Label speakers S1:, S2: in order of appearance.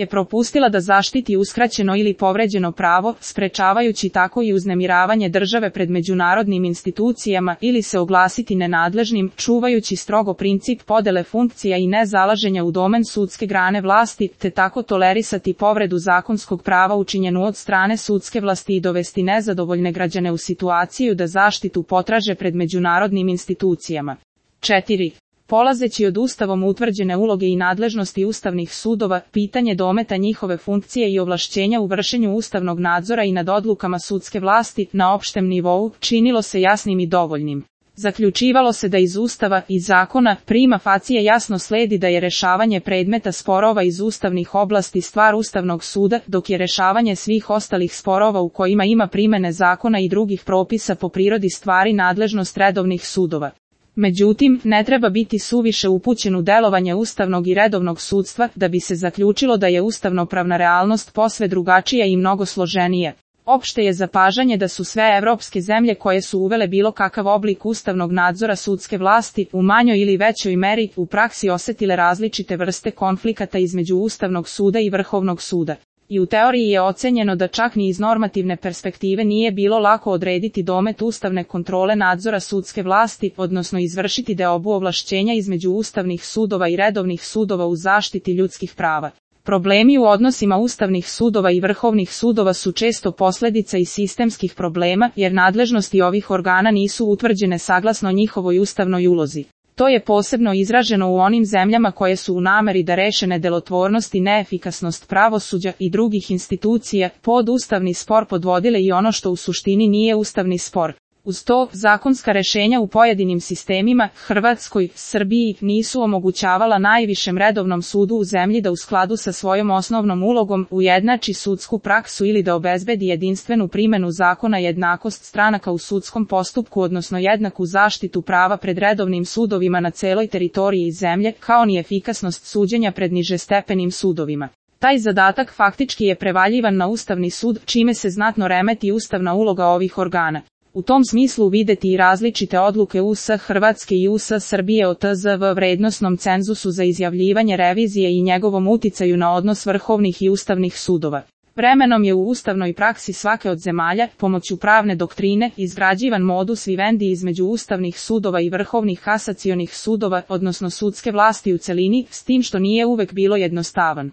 S1: je propustila da zaštiti uskraćeno ili povređeno pravo, sprečavajući tako i uznemiravanje države pred međunarodnim institucijama ili se oglasiti nenadležnim, čuvajući strogo princip podele funkcija i nezalaženja u domen sudske grane vlasti, te tako tolerisati povredu zakonskog prava učinjenu od strane sudske vlasti i dovesti nezadovoljne građane u situaciju da zaštitu potraže pred međunarodnim institucijama. 4. Polazeći od Ustavom utvrđene uloge i nadležnosti ustavnih sudova, pitanje dometa njihove funkcije i ovlašćenja u vršenju ustavnog nadzora i nad odlukama sudske vlasti na opštem nivou činilo se jasnim i dovoljnim. Zaključivalo se da iz Ustava i zakona prima facie jasno sledi da je rešavanje predmeta sporova iz ustavnih oblasti stvar Ustavnog suda, dok je rešavanje svih ostalih sporova u kojima ima primene zakona i drugih propisa po prirodi stvari nadležnost redovnih sudova. Međutim, ne treba biti suviše upućen u delovanje ustavnog i redovnog sudstva da bi se zaključilo da je ustavnopravna realnost posve drugačija i mnogo složenija. Opšte je zapažanje da su sve evropske zemlje koje su uvele bilo kakav oblik ustavnog nadzora sudske vlasti, u manjoj ili većoj meri, u praksi osetile različite vrste konflikata između Ustavnog suda i Vrhovnog suda. I u teoriji je ocenjeno da čak ni iz normativne perspektive nije bilo lako odrediti domet ustavne kontrole nadzora sudske vlasti, odnosno izvršiti deobu ovlašćenja između ustavnih sudova i redovnih sudova u zaštiti ljudskih prava. Problemi u odnosima ustavnih sudova i vrhovnih sudova su često posledica i sistemskih problema, jer nadležnosti ovih organa nisu utvrđene saglasno njihovoj ustavnoj ulozi. To je posebno izraženo u onim zemljama koje su u nameri da reše nedelotvornost i neefikasnost pravosuđa i drugih institucija pod ustavni spor podvodile i ono što u suštini nije ustavni spor. Uz to, zakonska rešenja u pojedinim sistemima, Hrvatskoj, Srbiji, nisu omogućavala najvišem redovnom sudu u zemlji da u skladu sa svojom osnovnom ulogom ujednači sudsku praksu ili da obezbedi jedinstvenu primenu zakona i jednakost stranaka u sudskom postupku, odnosno jednaku zaštitu prava pred redovnim sudovima na celoj teritoriji zemlje, kao ni efikasnost suđenja pred nižestepenim sudovima. Taj zadatak faktički je prevaljivan na Ustavni sud, čime se znatno remeti ustavna uloga ovih organa. U tom smislu videti i različite odluke US Hrvatske i US Srbije o TZV vrednosnom cenzusu za izjavljivanje revizije i njegovom uticaju na odnos vrhovnih i ustavnih sudova. Vremenom je u ustavnoj praksi svake od zemalja, pomoću pravne doktrine, izgrađivan modus vivendi između ustavnih sudova i vrhovnih kasacionih sudova, odnosno sudske vlasti u celini, s tim što nije uvek bilo jednostavan.